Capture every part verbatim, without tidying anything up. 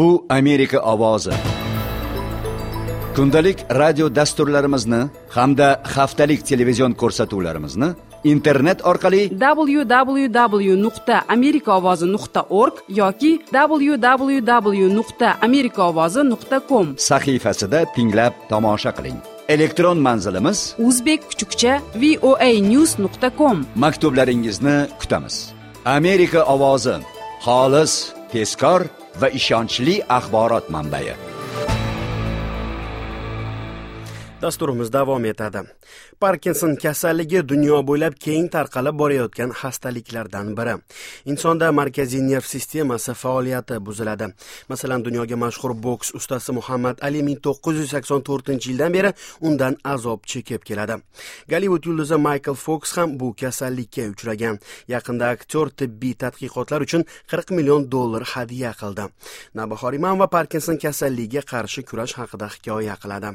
Bu Amerika ovozi. Kundalik radio dasturlarimizni hamda haftalik televizion ko'rsatuvlarimizni internet orqali w w w nuqta amerika ovozi nuqta org yoki w w w nuqta amerika ovozi nuqta com sahifasida tinglab tomosha qiling. Elektron manzilimiz uzbek kuchukcha voa news nuqta com. Maktublaringizni kutamiz. Amerika ovozi xolis, tezkor va ishonchli axborot manbai. Dasturimiz davom etadi. Parkinson kasalligi dunyo bo'ylab keng tarqalib borayotgan xastaliklardan biri. Insonda markaziy nerv sistemasi faoliyati buziladi. Masalan, dunyoga mashhur boks ustasi Muhammad Ali ming to'qqiz yuz sakson to'rtinchi yildan beri undan azob chekib keladi. Gollivud yulduzi Michael Fox ham bu kasallikka uchragan. Yaqinda aktyor tibbiy tadqiqotlar uchun qirq million dollar hadya qildi. Navbahor Imamova Parkinson kasalligiga qarshi kurash haqida hikoya qiladi.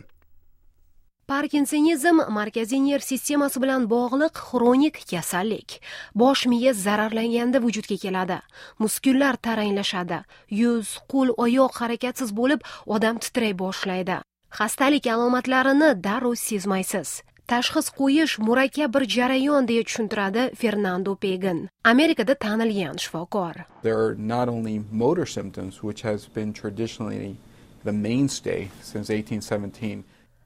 Parkinsonizm markaziy nerv sistemasi bilan bog'liq xronik kasallik. Bosh miya zararlanganda vujudga keladi. Muskullar taranglashadi. Yuz, qo'l, oyoq harakatsiz bo'lib, odam titray boshlaydi. Xastalik alomatlarini darrov sezmaysiz. Tashxis qo'yish murakkab bir jarayon deya tushuntiradi Fernando Pegan, Amerikada tanilgan shifokor. There are not only motor symptoms, which has been traditionally the mainstay since eighteen seventeen.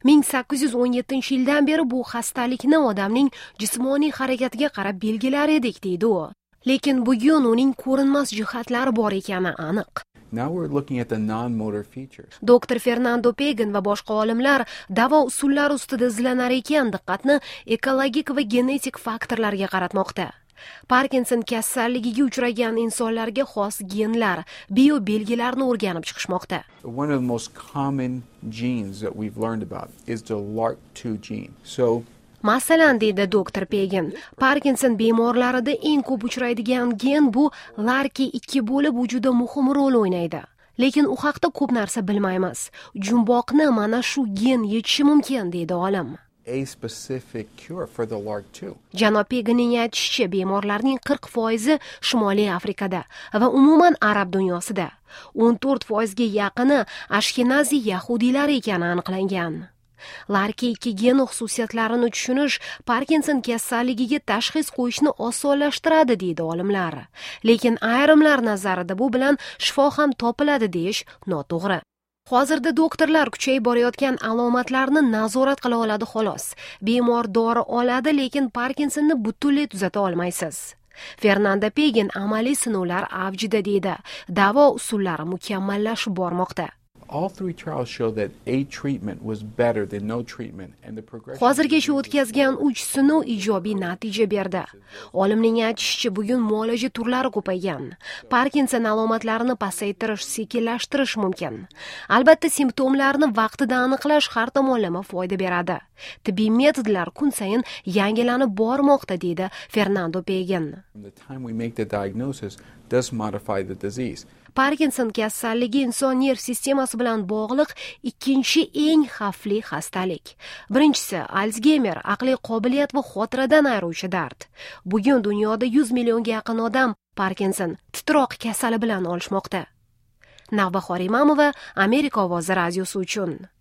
ming sakkiz yuz o'n yettinchi yildan beri bu xastalikni odamning jismoniy harakatiga qarab belgilar edik, deydi u. Lekin bugun uning ko'rinmas jihatlari bor ekani aniq. Now we're looking at the non-motor features. Doktor Fernando Pegan va boshqa olimlar davo usullari ustida izlanar ekan, diqqatni ekologik va genetik faktorlarga qaratmoqda. Parkinson kasalligiga uchragan insonlarga xos genlar, biobelgilarni o'rganib chiqishmoqda. One of the most common genes that we've learned about is the L A R K two gene. So Masalan, deydi doktor Pegan, Parkinson bemorlarida eng ko'p uchraydigan gen bu L A R K ikki bo'lib, u juda muhim rol o'ynaydi. Lekin u haqda ko'p narsa bilmaymiz. Jumboqni mana shu gen yechishi mumkin, deydi olim. A specific cure for the L A R K two. Janob Peganning aytishicha, bemorlarning qirq foizi Shimoliy Afrikada va umuman arab dunyosida, o'n to'rt foizga yaqini Ashkenazi yahudiylar ekani aniqlangan. L A R K ikki geni xususiyatlarini tushunish Parkinson kasalligiga tashxis qo'yishni osonlashtiradi, deydi olimlar. Lekin ayrimlar nazarida bu bilan shifo ham topiladi deyish noto'g'ri. Hozirda doktorlar kuchayib borayotgan alomatlarni nazorat qila oladi xolos. Bemor dori oladi, lekin Parkinsonni butunlay tuzata olmaysiz. Fernando Pegan amaliy sinovlar avjida deydi. Davo usullari mukammallashib bormoqda. All three trials show that a treatment was better than no treatment and the progression Hozirgacha o'tkazgan uch sinov ijobiy natija berdi. Olimning aytishicha, bugun muolaja turlari ko'paygan. Parkinson alomatlarini pasaytirish, sekinlashtirish mumkin. Albatta, simptomlarni vaqtida aniqlash har tomonlama foyda beradi. Tibbiy metodlar kun sayin yangilanib bormoqda, deydi Fernando Pegan. From the time we make the diagnosis does modify the disease. Parkinson kasalligi inson nerv sistemasi bilan bog'liq ikkinchi eng xavfli xastalik. Birinchisi Alsgeymer, aqliy qobiliyat va xotiradan ayiruvchi dard. Bugun dunyoda yuz millionga yaqin odam Parkinson titroq kasali bilan olishmoqda. Navbahor Imamova, Amerika ovozi radiosi uchun.